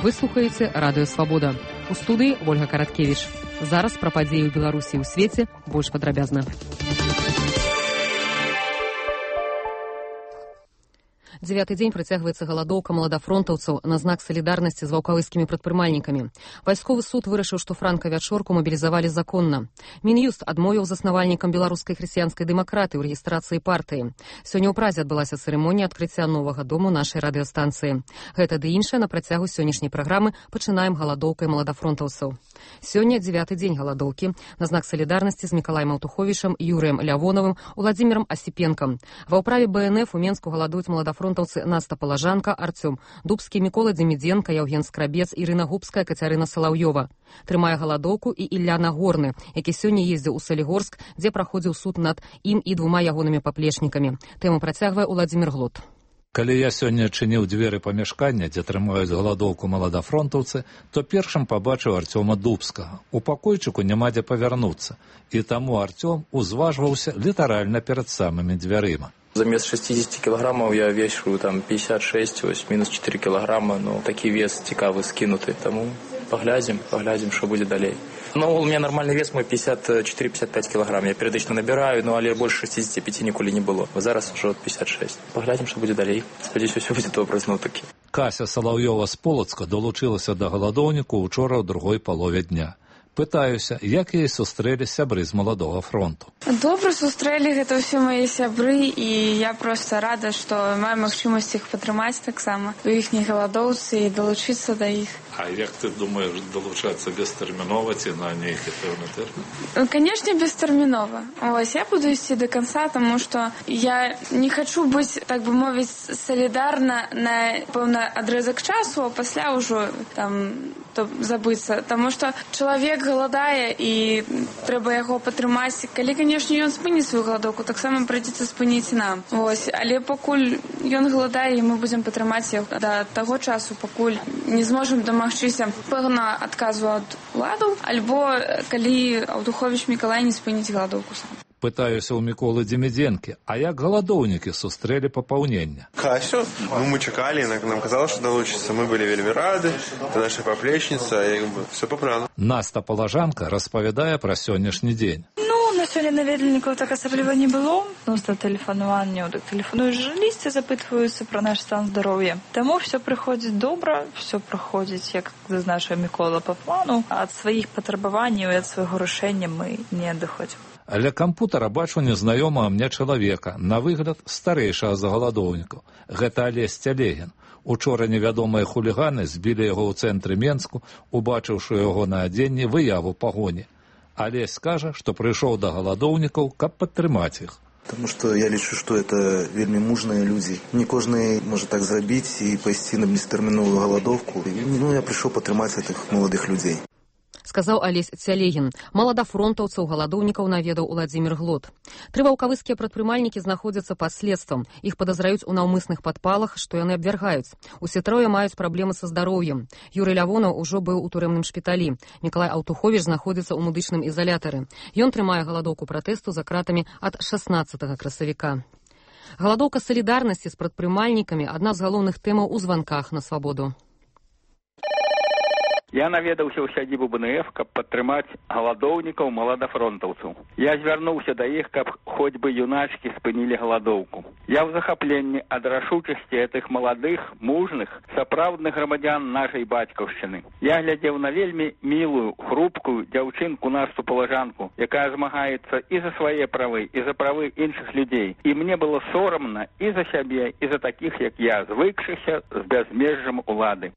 Вы слухаеце Радыё Свабода. У студыі Ольга Караткевіч. Зараз пра падзеі ў Беларусі і ў свеце больш падрабязна. Дзевяты дзень працягваецца галадоўка маладафронтаўцаў на знак салідарнасці з ваўкавыскімі прадпрымальнікамі. Вайсковы суд вырашыў, што франка-вячорку мабілізавалі законна. Мін'юст адмовіў заснавальнікам беларускай хрысціянскай дэмакратыі ў рэгістрацыі партыі. Сёння ў Празе адбылася цырымонія адкрыцця новага дому нашай радыёстанцыі. Гэта ды іншае на працягу сённяшняй праграмы пачынаем галадоўкай маладафронтаўцаў. Сёння дзевяты дзень галадоўкі на знак салідарнасці з Мікалаем Аўтуховічам, Юрыем Лявоновым, Уладзімірам Асіпенкам. Ва ўправе БНФ у Менску галадуюць маладафронтаўцы Наста Палажанка, Арцём Дубскі, Мікола Дземідзенка, Яўген Скрабец, Ірына Губская, Кацярына Салаўёва. Трымае галадоўку і Ілля Нагорны, які сёння ездзіў у Салігорск, дзе праходзіў суд над ім і двума ягонымі паплечнікамі. Тэму працягвае Уладзімір Глот. Калі я сёння чыніў дзверы памяшкання, дзе трымаюць галадоўку маладафронтаўцы, то першым пабачыў Арцёма Дубскага. У пакойчыку няма дзе павярнуцца, і таму Арцём узважваўся літаральна перад самымі дзвярыма. Замест 60 килограммов я вешу там 56, ось минус 4 килограмма, но такі вес цікавы скинуты, тому поглядим, что будет далей. Ну, у меня нормальный вес мой 54-55 килограмм, я периодично набираю, но але больше 65 ніколи не было. Зараз уже 56. Поглядим, что будет далей. Спадзяюсь, все будет добра зноў-такі. Кася Салаўёва з Полацка долучылася да галадоўніку учора ў другой палове дня. Пытаюся, як яе сустрэлі сябры з маладога фронту. Добра сустрэлі, гэта ўсе мае сябры, і я проста рада, што маю магчымасць іх падтрымаць таксама у іхняй галадоўцы і далучыцца да іх. А як ты думаеш далучацца бестэрмінова ці на нейкі пэўны тэрмін? Канешне, бестэрмінова. Ось, я буду ісці до конца, тому што я не хачу быць, так бы мовіць, салідарна на пэўны адрэзак часу, а пасля ўжо там забыцца. Таму што чалавек галадае і трэба яго падтрымаць. Калі, канешне, ён спыніць сваю галадоўку, таксама прыйдзецца спыніць нам. Ось, але пакуль ён галадае, мы будзем падтрымаць яго да таго часу, пакуль не зможам дамагчыся пэўна адказу ад уладаў, альбо калі Аўтуховіч Мікалай не спыніць галадоўку сам. Пытаюся ў Міколы Дземідзенкі, а як галадоўнікі сустрэлі папаўнення? Касю, мы чакалі, нам казала, што далучыцца, мы былі вельмі рады, это наша паплечніца, все па плану. Наста Палажанка распавядае пра сённяшні дзень. На сёння наведвальнікаў так асабліва не было. Носта тэлефанаванняў, так тэлефануюць журналісты, запытваюцца пра наш стан здароўя. Таму все прыходзіць добра, все праходзіць, як зазначыў Мікола, па плану. Ад сваіх патрабаванняў і ад свайго рашэння мы не адыходзім. Ля кампутара бачу незнаёмага мне чалавека, на выгляд старэйшага за галадоўнікаў. Гэта Алесь Цялегін. Учора невядомыя хуліганы збілі яго ў цэнтры Менску, убачыўшы яго на адзенні выяву пагоні. Алесь скажа, што прыйшоў да галадоўнікаў, каб падтрымаць іх. Потому что я лічу, что это вельмі мужныя людзі. Не кожны можа так зрабіць і пайсці на бестэрміновую галадоўку. Ну, я прыйшоў падтрымаць гэтых маладых людзей. Сказаў Алесь Цялегін. Маладафронтаўцаў галадоўнікаў наведаў Уладзімір Глот. 3 ваўкавыскія прадпрымальнікі знаходзяцца пад следствам. Іх падазраюць у наўмысных падпалах, што яны абвяргаюць. Усе трое маюць праблемы са здароўем. Юрый Лявонаў ужо быў у турэмным шпіталі. Мікалай Аўтуховіч знаходзіцца ў медычным ізалятары. Ён трымае галадоўку пратэсту за кратамі ад 16 красавіка. Галадоўка салідарнасці з прадпрымальнікамі – адна з галоўных тэмаў у званках на свабоду. Я наведаўся ў сядзібу БНФ, каб падтрымаць галадоўнікаў маладафронтаўцаў. Я звярнуўся да іх, каб хоць бы юначкі спынілі галадоўку. Я ў захапленні ад рашучасці гэтых маладых, мужных, сапраўдных грамадзян нашай бацькаўшчыны. Я глядзеў на вельмі мілую, хрупкую дзяўчынку Насту Палажанку, якая змагаецца і за свае правы, і за правы іншых людзей. І мне было сорамна і за сябе, і за такіх, як я, звыкшыся з бязмежжам улады.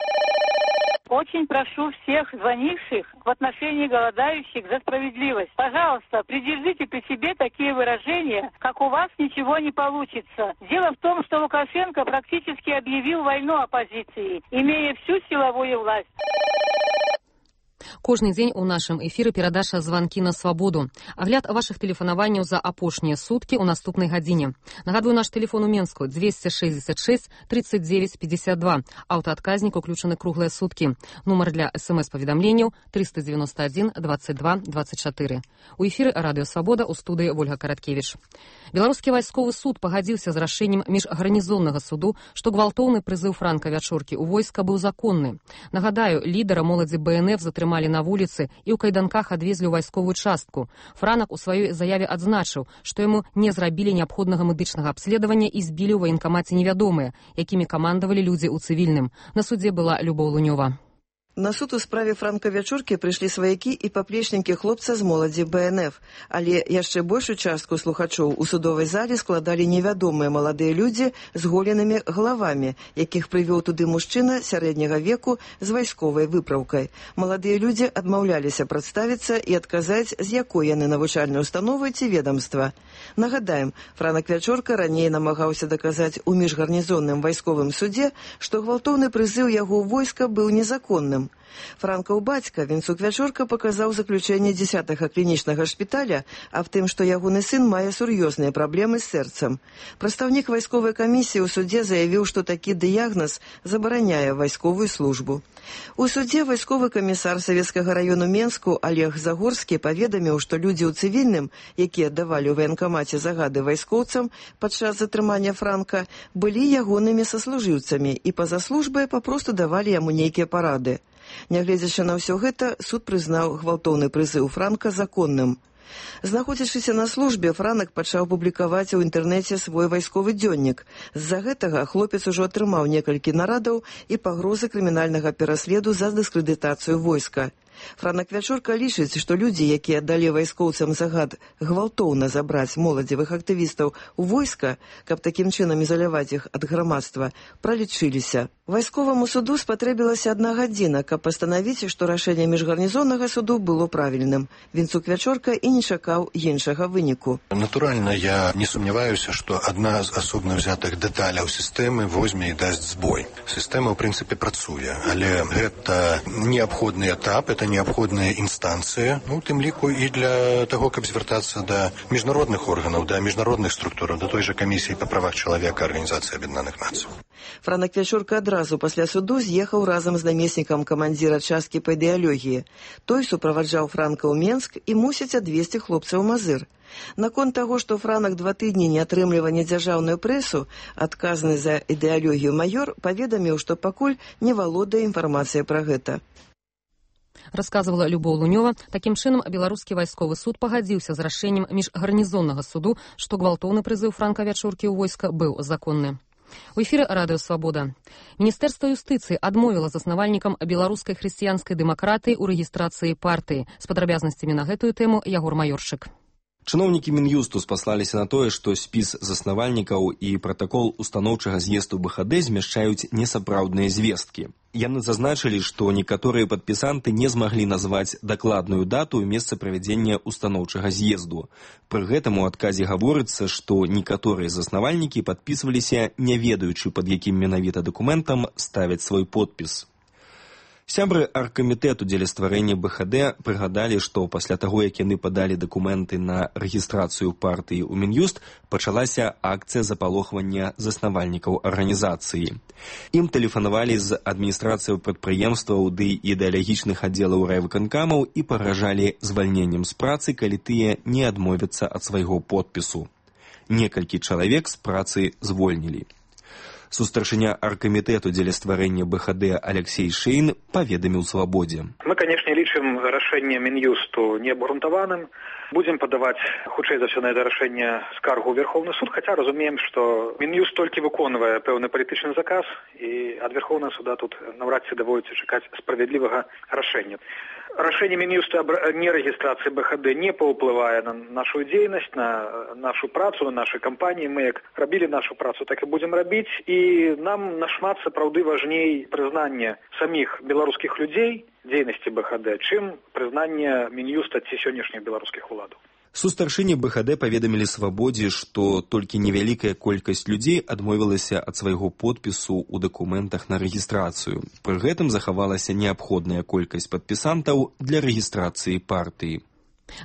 Очень прошу всех звонивших в отношении голодающих за справедливость. Пожалуйста, придержите при себе такие выражения, как «у вас ничего не получится». Дело в том, что Лукашенко практически объявил войну оппозиции, имея всю силовую власть. Кожны дзень у нашым эфіры перадача «Званкі на свабоду». Агляд вашых тэлефанаванняў за апошнія суткі ў наступнай гадзіне. Нагадваю, наш тэлефон у Менску 266 39 52. Аўтаадказнік уключаны круглыя суткі. Нумар для СМС-паведамленняў 391 22 24. У эфіры Радыё Свабода, у студыі Вольга Караткевіч. Беларускі вайсковы суд пагадзіўся з рашэннем міжгарнізоннага суду, што гвалтоўны прызыў Франка Вячоркі ў войска быў законны. Нагадаю, лідара моладзі БНФ затрымалі на вуліцы і ў кайданках адвезлі ў вайсковую частку. Франак у сваёй заяве адзначыў, што яму не зрабілі неабходнага медычнага абследавання і збілі ў ваенкамаце невядомыя, якімі камандавалі людзі ў цывільным. На судзе была Любоў Лунёва. На суд у справе Франка Вячоркі прыйшлі сваякі і паплечнікі хлопца з моладзі БНФ, але яшчэ большую частку слухачоў у судовай зале складалі невядомыя маладыя людзі з голенымі галавамі, якіх прывёў туды мужчына сярэдняга веку з вайсковай выпраўкай. Маладыя людзі адмаўляліся прадставіцца і адказаць, з якой яны навучальнай установы ці ведамства. Нагадаем, Франак Вячорка раней намагаўся даказаць у міжгарнізонным вайсковым судзе, што гвалтоўны прызыў яго ў войска быў незаконным. Франкаў бацька, Вінцук Вячорка, паказаў заключэнне 10-га клінічнага шпіталя аб тым, што ягоны сын мае сур'ёзныя праблемы з сэрцам. Прадстаўнік вайсковай камісіі ў судзе заявіў, што такі дыягназ забараняе вайсковую службу. У судзе вайсковы камісар Савецкага раёну Менску Олег Загорскі паведаміў, што людзі ў цывільным, якія давалі ў ваенкамаце загады вайскоўцам падчас затрымання Франка, былі ягонымі саслужыўцамі і па-за службай папросту давалі яму нейкія парады. Нягледзячы на ўсё гэта, суд прызнаў гвалтоўны прызыў Франка законным. Знаходзячыся на службе, Франак пачаў публікаваць у інтэрнэце свой вайсковы дзённік. З-за гэтага хлопец ужо атрымаў некалькі нарадаў і пагрозы крымінальнага пераследу за дыскрэдытацыю войска. Франак Вячорка лічыць, што людзі, якія далі вайскоўцам загад гвалтоўна забраць моладзевых актывістаў у войска, каб такім чынам ізаляваць іх ад грамадства, пралічыліся. Вайсковаму суду спатрэбілася 1 гадзіна, каб пастанавіць, што рашэнне міжгарнізоннага суду было правільным. Вінцук Вячорка і не чакаў іншага выніку. Натуральна, я не сумняваюся, што адна з асобна ўзятых дэталяў сістэмы возьме і дасць збой. Сістэма, ў прынцыпе, працуе, але гэта неабходны этап, это неабходная інстанцыя, у тым ліку і для таго, каб звяртацца да міжнародных органаў, да міжнародных структураў, да той жа камісіі па правах чалавека Арганізацыі Аб'яднаных Нацый. Франак Вячорка адразу пасля суду з'ехаў разам з намеснікам камандзіра часткі па ідэалогіі. Той суправаджаў Франка ў Менск і мусіць адвезці хлопца ў Мазыр. Наконт таго, што Франак 2 тыдні не атрымлівае дзяржаўную прэсу, адказны за ідэалогію маёр паведаміў, што пакуль не валодае інфармацыяй пра гэта. Расказвала Любоў Лунёва. Такім чынам, беларускі вайсковы суд пагадзіўся з рашэннем міжгарнізоннага суду, што гвалтоўны прызыў Франка Вячоркі ў войска быў законны. У эфіры Радыё Свабода. Міністэрства юстыцыі адмовіла заснавальнікам беларускай хрысціянскай дэмакратыі ў рэгістрацыі партыі. З падрабязнасцямі на гэтую тэму Ягор Маёрчык. Чыноўнікі Мін'юсту спаслаліся на тое, што спіс заснавальнікаў і пратакол устаноўчага з'езду БХД змяшчаюць несапраўдныя звесткі. Яны зазначылі, што некаторыя падпісанты не змаглі назваць дакладную дату і месца правядзення устаноўчага з'езду. Пры гэтым у адказе гаворыцца, што некаторыя заснавальнікі падпісваліся, не ведаючы, пад якім менавіта дакументам ставяць свой подпіс. Сябры аргкамітэту дзеля стварэння БХД прыгадалі, што пасля таго, як яны падалі дакументы на рэгістрацыю партыі ў Мін'юст, пачалася акцыя запалохвання заснавальнікаў арганізацыі. Ім тэлефанавалі з адміністрацыяў прадпрыемстваў ды ідэалагічных аддзелаў райвыканкамаў і пагражалі звальненнем з працы, калі тыя не адмовяцца ад свайго подпісу. Некалькі чалавек з працы звольнілі. Сустаршыня аргкамітэту дзеля стварэння БХД Алексей Шейн паведаміў Свабодзе. Мы, канешне, лічым рашэнне Мін'юсту неабгрунтаваным. Будзем падаваць, хутчэй за ўсё, на гэта рашэнне скаргу ў Верховны суд, хаця разумеем, што Мін'юст толькі выконвае пэўны палітычны заказ, і ад Верховнага суда тут наўрад ці даводзіцца чакаць справядлівага рашэння. Рашэнне Мін'юста аб нерэгістрацыі БХД не паўплывае на нашу дзейнасць, на нашу працу, на нашы кампаніі. Мы як рабілі нашу працу, так і будзем рабіць. І нам нашмат сапраўды важней прызнанне саміх беларускіх людзей дзейнасці БХД, чым прызнанне Мін'юста ці сённяшніх беларускіх уладаў. Сустаршыні БХД паведамілі «Свабодзе», што толькі невялікая колькасць людзей адмовілася ад свайго подпісу ў дакументах на рэгістрацыю. Пры гэтым захавалася неабходная колькасць падпісантаў для рэгістрацыі партыі.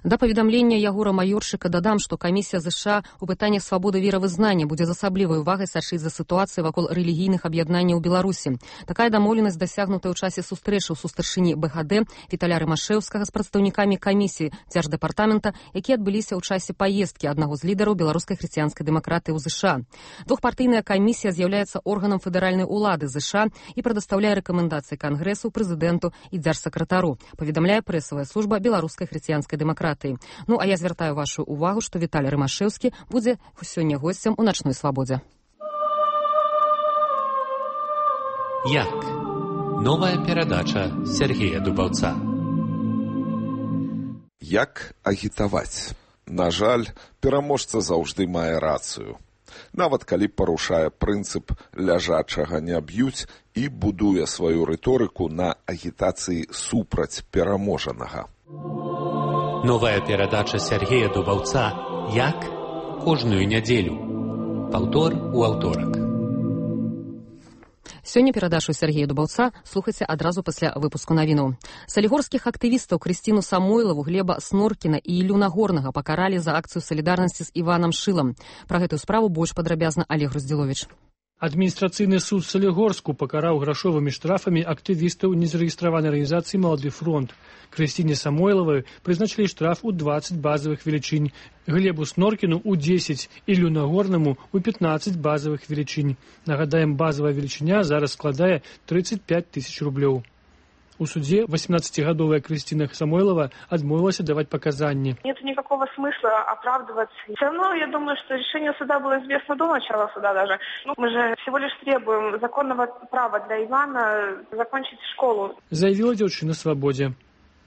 Да паведамлення Ягора Маёршыка дадам, што камісія ЗША ў пытаннях свабоды веравызнання будзе з асаблівай увагай сачыць за сітуацыяй вакол рэлігійных аб'яднанняў Беларусі. Такая дамоўленасць дасягнутая ў часе сустрэчы ў сустаршыні БХД Віталя Рымашэўскага з прадстаўнікамі камісіі дзярждэпартамента, якія адбыліся ў часе паездкі аднаго з лідараў беларускай хрысціянскай дэмакратыі ў ЗША. Двухпартыйная камісія з'яўляецца органам федэральнай улады ЗША і прадастаўляе рэкамендацыі Кангрэсу, прэзідэнту і дзяржсакратару, паведамляе прэсавая служба беларускай хрысціянскай дэмакратыі. Ну, а я звяртаю вашу увагу, што Віталій Рымашэўскі будзе сёння госцем у начной свабодзе. Як? Новая перадача Сергея Дубаўца. Як агітаваць? На жаль, пераможца заўжды мае рацыю. Нават калі парушае прынцып ляжачага не б'юць і будуе сваю рыторыку на агітацыі супраць пераможанага. Новая перадача Сергея Дубаўца «Як?» кожную нядзелю. Паўтор у аўторак. Сёння перадачу Сергея Дубаўца слухайце адразу пасля выпуску навінаў. Салігорскіх актывістаў Крысціну Самойлаву, Глеба Сноркіна і Іллю Нагорнага пакаралі за акцыю салідарнасці з Іванам Шылам. Пра гэтую справу больш падрабязна Олег Роздзіловіч. Адміністрацыйны суд Салігорску пакараў грашовымі штрафамі актывістаў незарэгістраванай арганізацыі «Малады фронт». Крысціне Самойлавай прызначылі штраф у 20 базавых велічынь, Глебу Сноркіну у 10, Іллю Нагорнаму у 15 базавых велічынь. Нагадаем, базавая велічыня зараз складае 35 тысяч рублёў. У суде 18-гадовая Крысціна Самойлова отмовилась давать показания. Нет никакого смысла оправдываться. Все равно, я думаю, что решение суда было известно до начала суда даже. Мы же всего лишь требуем законного права для Ивана закончить школу. Заявила девушка на свободе.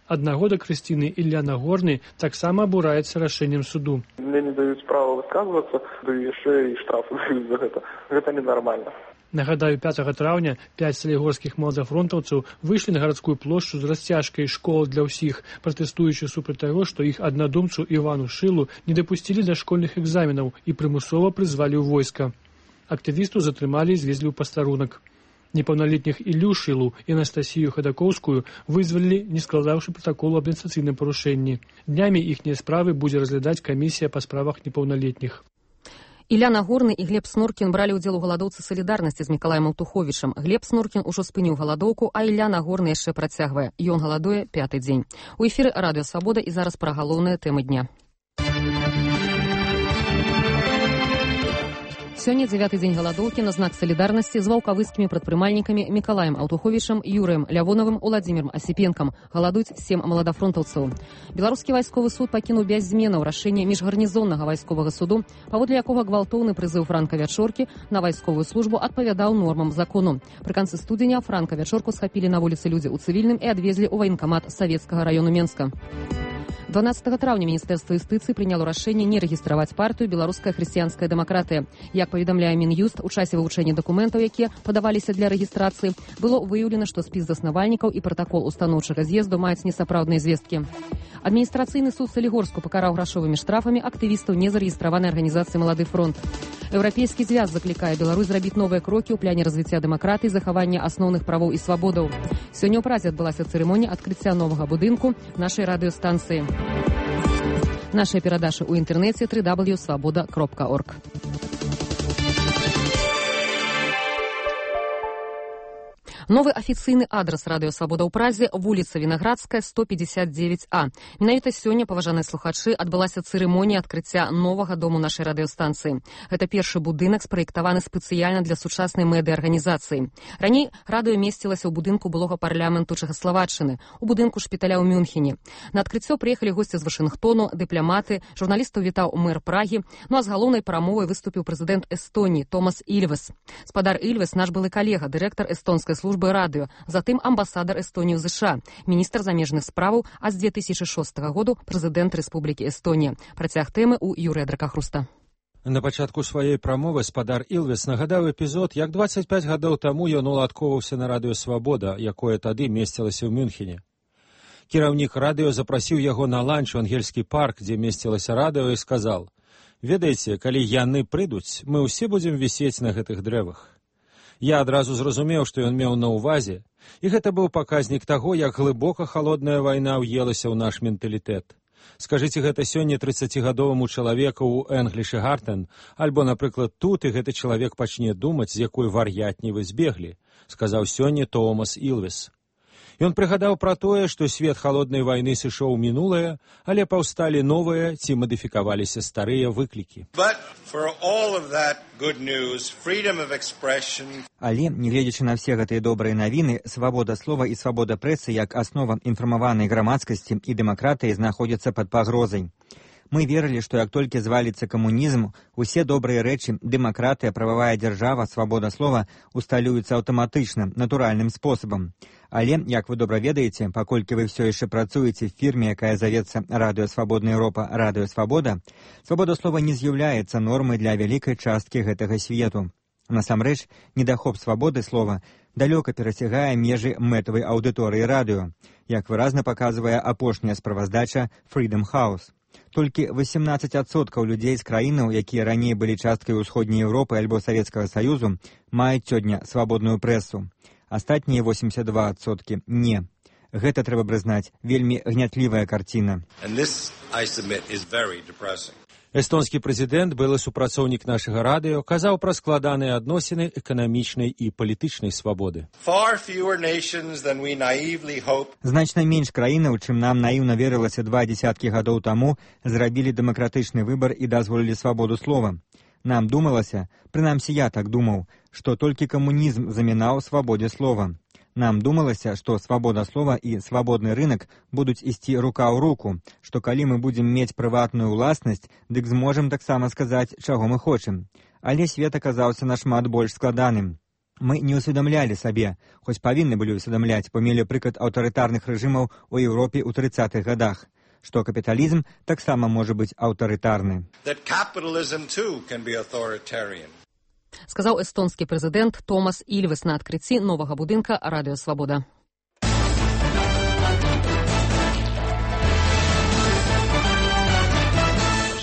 Одногода Крысціны Ілля Нагорны таксама абураецца рашэннем суду. Мне не даюць права высказвацца, да яшчэ і штрафы даюць за гэта. Гэта ненармальна. Нагадаю, 5 траўня 5 салігорскіх маладафронтаўцаў выйшлі на гарадскую плошчу з расцяжкай «Школа для ўсіх», пратэстуючы супраць таго, што іх аднадумцу Івану Шылу не дапусцілі да школьных экзаменаў і прымусова прызвалі ў войска. Актывісту затрымалі і звезлі ў пастарунак. Непаўналетніх Іллю Шылу і Анастасію Хадакоўскую вызвалілі, не складаўшы пратаколу аб адміністрацыйным парушэнні. Днямі іхнія справы будзе разглядаць камісія па справах непаўналетніх. Ілля Нагорны і Глеб Сноркін бралі ўдзел у галадоўцы салідарнасці з Мікалаем Аўтуховічам. Глеб Сноркін ужо спыніў галадоўку, а Ілля Нагорны яшчэ працягвае. Ён галадуе 5-й дзень. У эфіры Радыё Свабода і зараз пра галоўныя тэмы дня. Сёння 9-й дзень галадоўкі на знак салідарнасці з ваўкавыскімі прадпрымальнікамі Мікалаем Аўтуховічам, Юрыем Лявоновым, Уладзімірам Асіпенкам. Галадуюць 7 маладафронтаўцаў. Беларускі вайсковы суд пакінуў без зменаў рашэнне міжгарнізоннага вайсковага суду, паводле якога гвалтоўны прызыў Франка Вячоркі на вайсковую службу адпавядаў нормам закону. Пры канцы студзеня Франка Вячорку схапілі на вуліцы людзі ў цывільным і адвезлі ў ваенкамат Савецкага раёну Менска. 12 траўня Міністэрства юстыцыі прыняло рашэнне не рэгістраваць партыю «Беларуская хрысціянская дэмакратыя». Як паведамляе Мін'юст, у часе вывучэння дакументаў, якія падаваліся для рэгістрацыі, было выяўлена, што спіс заснавальнікаў і пратакол устаноўчага з'езду маюць несапраўдныя звесткі. Адміністрацыйны суд Салігорску пакараў грашовымі штрафамі актывістаў незарэгістраванай арганізацыі «Малады фронт». Еўрапейскі звяз заклікае Беларусь зрабіць новыя крокі ў пляне развіцця дэмакратыі, захавання асноўных правоў і свабодаў. Сёння ў Празе адбылася цырымонія адкрыцця новага будынку нашай радыёстанцыі. Наши передачи у интернете www.svoboda.org. Новы афіцыйны адрас Радыё Свабода ў Празе – вуліца Вінаградская, 159А. Менавіта сёння, паважаныя слухачы, адбылася цырымонія адкрыцця новага дому нашай радыёстанцыі. Гэта першы будынак, спраектаваны спецыяльна для сучаснай медыа-арганізацыі. Раней радыё месцілася ў будынку былога парламенту Чэхаславаччыны, у будынку шпіталя ў Мюнхене. На адкрыццё прыехалі госці з Вашынгтону, дыпламаты, журналістаў вітаў мэр Прагі, ну а з галоўнай прамовай выступіў прэзідэнт Эстоніі Томас Ільвес. Спадар Ільвес – наш былы калега, дырэктар эстонскай службы радыё, затым амбасадар Эстоніі ў ЗША, міністр замежных справаў, а з 2006 году прэзідэнт Рэспублікі Эстонія. Працяг тэмы ў Юрыя Дракахруста. На пачатку сваёй прамовы спадар Ільвес нагадаў эпізод, як 25 гадоў таму ён уладкоўваўся на Радыё Свабода, якое тады месцілася ў Мюнхене. Кіраўнік радыё запрасіў яго на ланч у ангельскі парк, дзе месцілася радыё, і сказаў: «Ведаеце, калі яны прыйдуць, мы ўсе будзем вісець на гэтых дрэвах». Я адразу зразумеў, што ён меў на ўвазе, і гэта быў паказнік таго, як глыбока халодная вайна ўелася ў наш менталітэт. Скажыце гэта сёння 30гадоваму чалавеку ў Энглішы Гартен, альбо, напрыклад, тут, і гэты чалавек пачне думаць, з якой вар'ятні вы збеглі, сказаў сёння Томас Ілвес. Ён прыгадаў пра тое, што свет халоднай вайны сышоў у мінулае, але паўсталі новыя ці мадыфікаваліся старыя выклікі. Але, нягледзячы на все гэтыя добрыя навіны, свабода слова і свабода прэсы як аснова інфармаванай грамадскасці і дэмакратыі знаходзяцца пад пагрозай. Мы верылі, што як толькі зваліцца камунізм, усе добрыя рэчы, дэмакратыя, прававая дзяржава, свабода слова усталююцца аўтаматычна, натуральным спосабам. Але, як вы добра ведаеце, паколькі вы ўсё яшчэ працуеце в фірме, якая завецца Радыё Свабодная Еўропа, Радыё Свабода, свабода слова не з'яўляецца нормай для вялікай часткі гэтага свету. Насамрэч, недахоп свабоды слова далёка перасягае межы мэтавай аўдыторыі радыё, як выразна паказвае апошняя справаздача Freedom House. Толькі 18% людзей з краінаў, якія раней былі часткай усходняй Еўропы альбо Савецкага Саюзу, маюць сёння свабодную прэсу. Астатнія 82% не. Гэта, трэба прызнаць, вельмі гнятлівая карціна. Эстонскі прэзідэнт, былы супрацоўнік нашага радыё, казаў пра складаныя адносіны эканамічнай і палітычнай свабоды. Значна менш краінаў, чым нам наіўна верылася 20 гадоў таму, зрабілі дэмакратычны выбар і дазволілі свабоду слова. Нам думалася, прынамсі я так думаў, што толькі камунізм замінаў свабодзе слова. Нам думалася, што свабода слова і свабодны рынак будуць ісці рука ў руку, што калі мы будзем мець прыватную ўласнасць, дык зможам таксама сказаць, чаго мы хочам. Але свет аказаўся нашмат больш складаным. Мы не ўсведамлялі сабе, хоць павінны былі ўсведамляць, бо мелі прыклад аўтарытарных рэжымаў у Еўропе ў 30-х гадах, што капіталізм таксама можа быць аўтарытарны. Сказаў эстонскі прэзідэнт Томас Ілвес на адкрыцці новага будынка Радыё Свабода.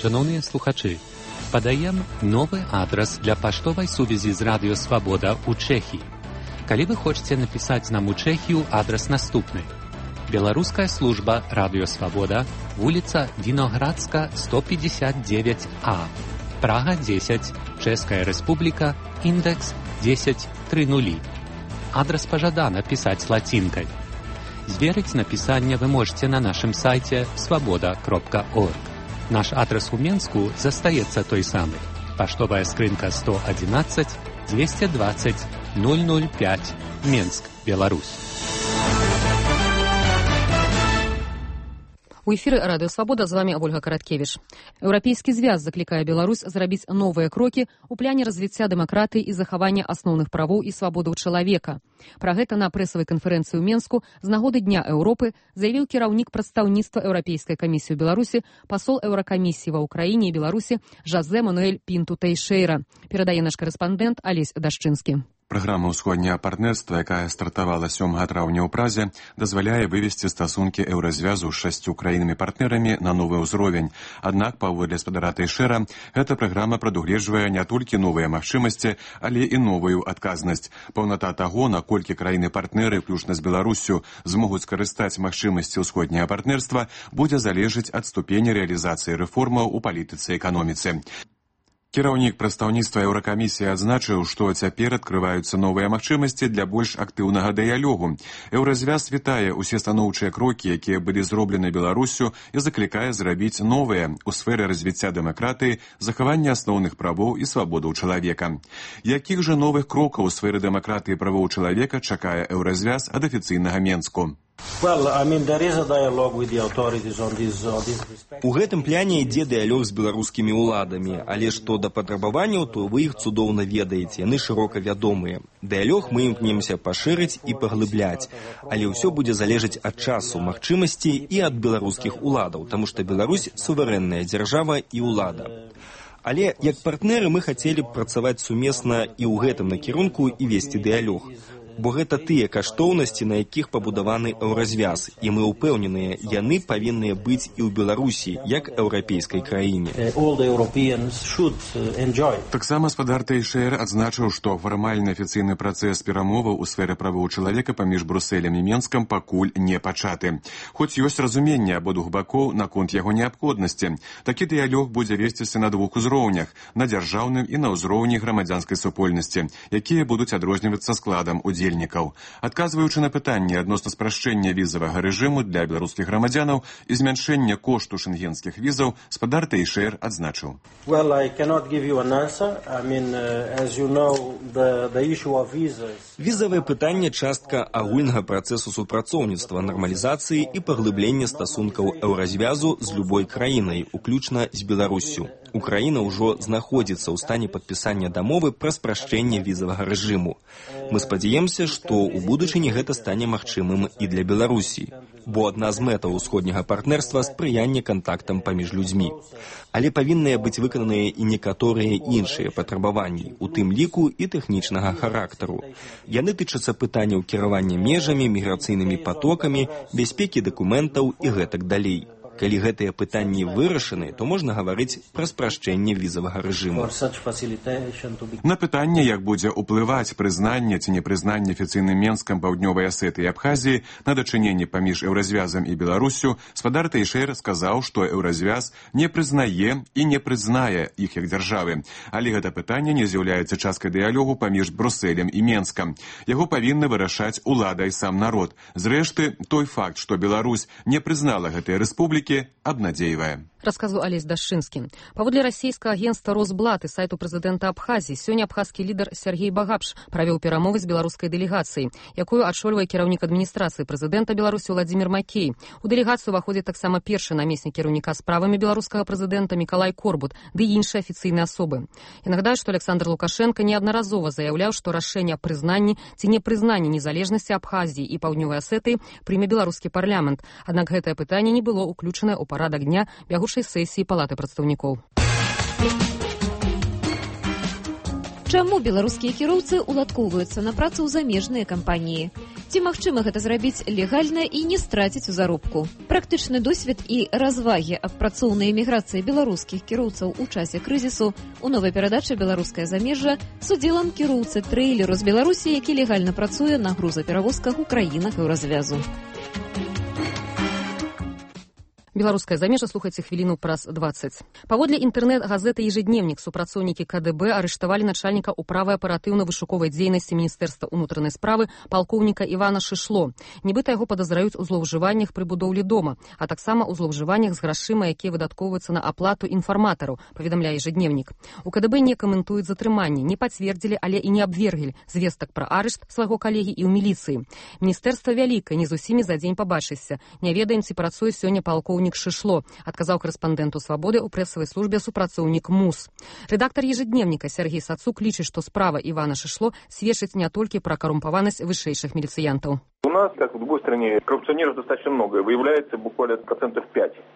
Шановныя слухачы, падаем новы адрас для паштовай сувязі з Радыё Свабода ў Чэхіі. Калі вы хочаце напісаць нам у Чэхію, адрас наступны. Беларуская служба Радыё Свабода, вуліца Віноградска, 159А, Прага 10, Чэшская Рэспубліка, індекс 1030. Адрас пажадана пісаць лацінкай. Зверыць напісанне вы можете на нашым сайце свабода.орг. Наш адрас у Менску застаецца той самы. Паштовая скрынка 111 220 005, Менск, Беларусь. У эфіры Радыё Свабода, з вами Ольга Караткевіч. Еўрапейскі звяз заклікае Беларусь зрабіць новыя крокі ў пляне развіцця дэмакратыі і захавання асноўных правоў і свабодаў чалавека. Пра гэта на прэсавай канферэнцыі ў Менску з нагоды Дня Еўропы заявіў кіраўнік прадстаўніцтва Еўрапейскай камісіі ў Беларусі, пасол Еўракамісіі ва Ўкраіне і Беларусі Жазэ Мануэль Пінту Тэйшэйра. Перадае наш карэспандэнт Алесь Дашчынскі. Праграма ўсходняе партнерства, якая стартавала 7 траўня ў Празе, дазваляе вывесці стасункі еўразвязу з 6 краінамі-партнерамі на новы ўзровень. Аднак, паводле спадара Тэйшэйра, гэта праграма прадугледжвае не толькі новыя магчымасці, але і новую адказнасць. Паўната таго, наколькі краіны-партнеры, включна з Беларуссю, змогуць скарыстаць магчымасці ўсходняе партнерства, будзе залежыць ад ступені рэалізацыі рэформаў у палітыцы і эканоміцы. Кіраўнік прадстаўніцтва Еўракамісіі адзначыў, што цяпер адкрываюцца новыя магчымасці для больш актыўнага дыялогу. Еўразвяз вітае ўсе станоўчыя крокі, якія былі зроблены Беларуссю, і заклікае зрабіць новыя ў сферы развіцця дэмакратыі, захавання асноўных правоў і свабодаў чалавека. Якіх жа новых крокаў у сферы дэмакратыі і правоў чалавека чакае еўразвяз ад афіцыйнага Менску? У гэтым пляне ідзе дыялог з беларускімі ўладамі, але што да патрабаванняў, то вы іх цудоўна ведаеце, яны шырока вядомыя. Дыялог мы імкнемся пашырыць і паглыбляць, але ўсё будзе залежаць ад часу, магчымасцей і ад беларускіх уладаў, таму што Беларусь суверэнная дзяржава і ўлада. Але як партнеры мы хацелі б працаваць сумесна і ў гэтым накірунку і весці дыялог. Бо гэта тыя каштоўнасці, на якіх пабудаваны еўразвяз, і мы ўпэўненыя, яны павінныя быць і ў Беларусі, як еўрапейскай краіне. Таксама спадар Тэйшэйр адзначыў, што фармальны афіцыйны працэс перамоваў у сферы правоў чалавека паміж Брусэлем і Менскам пакуль не пачаты. Хоць ёсць разуменне абодвух бакоў наконт яго неабходнасці. Такі дыялог будзе весціся на двух узроўнях, на дзяржаўным і на ўзроўні грамадзянскай супольнасці, якія будуць адрознівацца складам удзельнікаў. Адказваючы на пытанне адносна спрашчэння візавага рэжыму для беларускіх грамадзянаў і змяншэння кошту шэнгенскіх візаў, спадар Тэйшэйр адзначыў. Візавае пытанне частка агульнага працэсу супрацоўніцтва, нармалізацыі і паглыблення стасункаў еўразвязу з любой краінай, уключна з Беларуссю. Украіна ўжо знаходзіцца ў стане падпісання дамовы пра спрашчэнне візавага рэжыму. Мы спадзяемся, што ў будучыні гэта стане магчымым і для Беларусі, бо адна з мэтаў усходняга партнерства – спрыянне кантактам паміж людзьмі. Але павінныя быць выкананыя і некаторыя іншыя патрабаванні, у тым ліку і тэхнічнага характару. Яны тычацца пытанняў кіравання межамі, міграцыйнымі патокамі, бяспекі дакументаў і гэтак далей. Калі гэтыя пытанні вырашаны, то можна гаварыць пра спрашчэнне візавага рэжыму. На пытанне, як будзе ўплываць прызнанне ці непрызнанне афіцыйным Менскам, Паўднёвай Асетыі і Абхазіі на дачыненне паміж еўразвязам і Беларуссю, спадар Тэйшэйр сказаў, што еўразвяз не прызнае і не прызнае іх як дзяржавы. Але гэта пытанне не з'яўляецца часткай дыялогу паміж Брусэлем і Менскам. Яго павінны вырашаць улада і сам народ. Зрэшты, той факт, што Беларусь не прызнала гэтыя рэспублікі, обнадеивая. Рассказывал Олесь Дашинский. Паводле расійскага агентства «Росблат» и сайту прэзідэнта Абхазіі, сёння абхазскі лідар Сергей Багапш правёў перамовы з беларускай дэлегацыяй, якую адшольвае кіраўнік адміністрацыі прэзідэнта Беларусі Владзімір Макей. У дэлегацыю ўваходзіць таксама першы намеснік кіраўніка справамі беларускага прэзідэнта Мікалай Корбут, ды іншыя афіцыйныя асобы. Я нагадаю, што Александр Лукашенко неаднаразова заяўляў, што рашэнне аб прызнанні ці непрызнанні незалежнасці Абхазіі і Паўднёвай Асетыі прыме беларускі парламент. Аднак гэтае пытанне не было ўключанае ў парадак дня бягучай сесіі Палаты прадстаўнікоў. Чаму беларускія кіроўцы уладкоўваюцца на працу ў замежныя кампаніі? Ці магчыма гэта зрабіць легальна і не страціць у заробку? Практычны досвед і развагі аб працоўнай эміграцыі беларускіх кіроўцаў у часе крызісу у новай перадачы «Беларускае замежжа» з удзелам кіроўцы трэйлеру з Беларусі, які легальна працуе на грузаперавозках у краінах еўразвязу. Беларускае замежжа, слухайце хвіліну праз 20. Паводле інтэрнэт-газеты «Ежедневник» супрацоўнікі КДБ арыштавалі начальніка управы аператыўна-вышуковай дзейнасці Міністэрства ўнутранай справы палкоўніка Івана Шышло. Нібыта яго падазраюць у злоўжываннях пры будоўлі дома, а таксама ў злоўжываннях з грашыма, якія выдаткоўваюцца на аплату інфарматараў, паведамляе «Ежедневник». У КДБ не каментуюць затрыманне, не пацвердзілі, але і не абвергілі звестак пра арышт свайго калегі і ў міліцыі. Міністэрства вялікае, не з усімі за дзень пабачышся. Не ведаем, ці працуе сёння палкоўнік Шышло, адказаў карэспандэнту «Свабоды» ў прэсавай службе супрацоўнік МУС. Рэдактар «Ежедневника» Сергей Сацук лічыць, што справа Івана Шышло сведчыць не толькі пра карумпаванасць вышэйшых міліцыянтаў. У нас, как в любой стране, коррупционеров достаточно много. Выявляется буквально 5%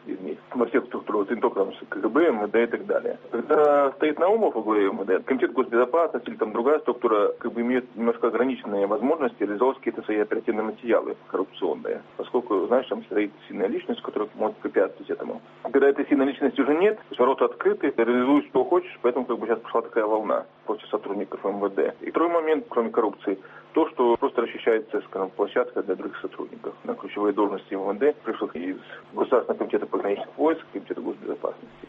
из них во всех структурах, не только КГБ, МВД и так далее. Когда стоит Наумов во главе МВД, Комитет госбезопасности или там другая структура как бы имеет немножко ограниченные возможности реализовать какие-то свои оперативные материалы коррупционные. Поскольку, знаешь, там стоит сильная личность, которая может препятствовать этому. Когда этой сильной личности уже нет, ворота открыты, реализуешь что хочешь, поэтому как бы сейчас пошла такая волна против сотрудников МВД. И второй момент, кроме коррупции, то, что просто расчищается, скажем, площадка для других сотрудников. На ключевые должности МВД пришлых из Государственного комитета пограничных войск, Комитета госбезопасности.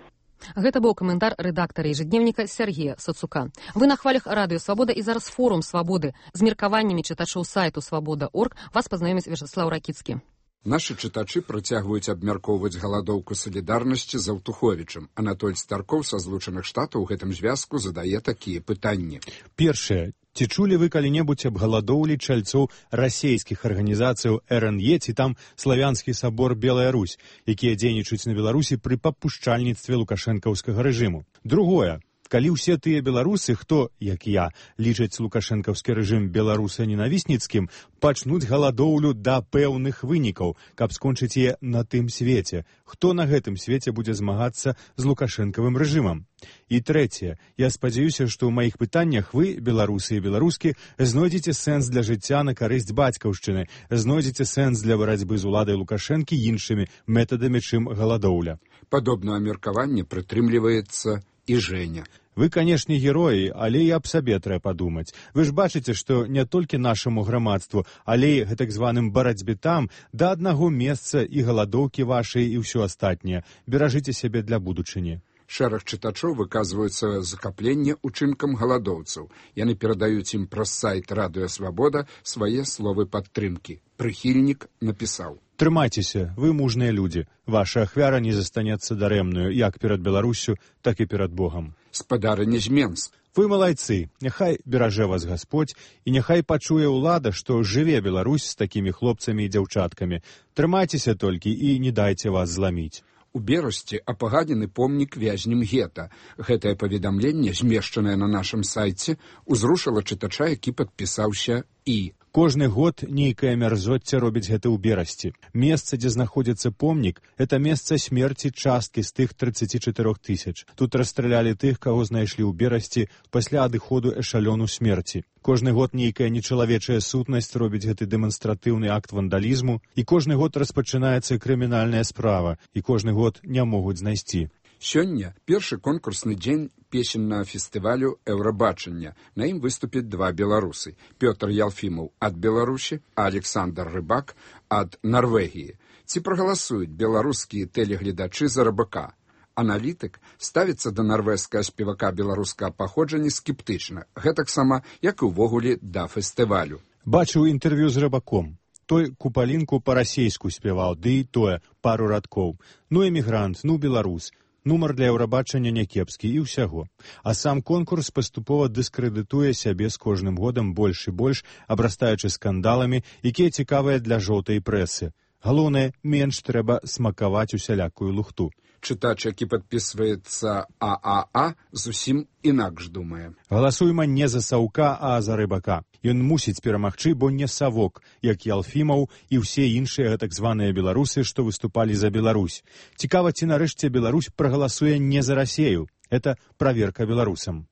Гэта быў каментар рэдактара «Ежедневника» Сергея Сацука. Вы на хвалях радыё «Свабода» і зараз форум «Свабоды». З меркаваннямі чытачоў сайту «Свабода.орг» вас пазнаёміць Вячеслав Ракіцкі. Нашы чытачы працягваюць абмяркоўваць галадоўку салідарнасці з Аўтуховічам. Анатоль Старкоў са Злучаных Штатаў у гэтым звязку задае такія пытанні. Першае. Ці чулі вы калі-небудзь аб галадоўлі чальцоў расейскіх арганізацыяў РНЕ ці там славянскі сабор Белая Русь, якія дзейнічаюць на Беларусі пры папушчальніцтве лукашэнкаўскага рэжыму? Другое. Калі ўсе тыя беларусы, хто, як я, лічаць лукашэнкаўскі рэжым беларуса-ненавісніцкім, пачнуць галадоўлю да пэўных вынікаў, каб скончыць яе на тым свеце, хто на гэтым свеце будзе змагацца з лукашэнкавым рэжымам? І трэцяе, я спадзяюся, што ў маіх пытаннях вы, беларусы і беларускі, знойдзеце сэнс для жыцця на карысць бацькаўшчыны, знойдзеце сэнс для барацьбы з уладай Лукашэнкі іншымі метадамі, чым галадоўля. Падобнае меркаванне прытрымліваецца і Жэня. Вы, канешне, героі, але і аб сабе трэба падумаць. Вы ж бачыце, што не толькі нашаму грамадству, але і гэтак званым барацьбе там, да аднаго месца і галадоўкі вашай і ўсё астатняе. Беражыце сябе для будучыні. Шэраг чытачоў выказваюцца захапленне учынкам галадоўцаў. Яны перадаюць ім праз сайт Радыё Свабода свае словы падтрымкі. Прыхільнік напісаў: Трымайцеся, вы мужныя людзі. Ваша ахвяра не застанецца дарэмнаю, як перад Беларуссю, так і перад Богам. Спадарыня з Менск. Вы малайцы, няхай беражэ вас Гасподзь, і няхай пачуе ўлада, што жыве Беларусь з такімі хлопцамі і дзяўчаткамі. Трымайцеся толькі і не дайце вас зламіць. У Берасці апагадзены помнік вязням гета. Гэтае паведамленне, змешчанае на нашым сайце, узрушыла чытача, які падпісаўся «І». Кожны год нейкае мярзоцце робіць гэта ў Берасці. Месца, дзе знаходзіцца помнік, это месца смерці часткі з тых 34 000. Тут расстралялі тых, каго знайшлі ў Берасці пасля адыходу эшалёну смерці. Кожны год нейкая нечалавечая сутнасць робіць гэты дэманстратыўны акт вандалізму, і кожны год распачынаецца крымінальная справа, і кожны год не могуць знайсці. Сёння першы конкурсны дзень песеннага фестывалю «Еўрабачання». На ім выступяць два беларусы. Пётр Ялфімаў ад Беларусі, а Александр Рыбак ад Нарвегіі. Ці прагаласуюць беларускія тэлегледачы за Рыбака? Аналітык ставіцца да нарвежскага спевака беларускага паходжання скептычна, гэтаксама, як і ўвогуле да фестывалю. Бачыў інтэрв'ю з Рыбаком. Той купалінку па-расейску спяваў, ды і тое пару радкоў. Ну эмігрант, ну беларус. Нумар для Еўрабачання някепскі і ўсяго. А сам конкурс паступова дыскрэдытуе сябе з кожным годам больш і больш, абрастаючы скандаламі, якія цікавыя для жоўтай прэсы. Галоўнае, менш трэба смакаваць усялякую лухту. Чытач, які падпісваецца ААА, зусім інакш думае. Галасуйма не за Саўка, а за Рыбака. Ён мусіць перамагчы, бо не Савок, як Ялфімаў і ўсе іншыя так званыя беларусы, што выступалі за Беларусь. Цікава, ці нарэшце Беларусь прагаласуе не за Расею. Это праверка беларусам.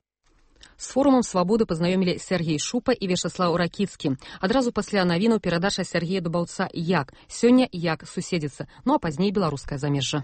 З форумам «Свабоды» пазнаёмілі Сергей Шупа і Вячаслаў Ракіцкі. Адразу пасля навінаў перадача Сергея Дубаўца «Як?». Сёння «Як суседзіцца?». Ну а пазней беларускае замежжа.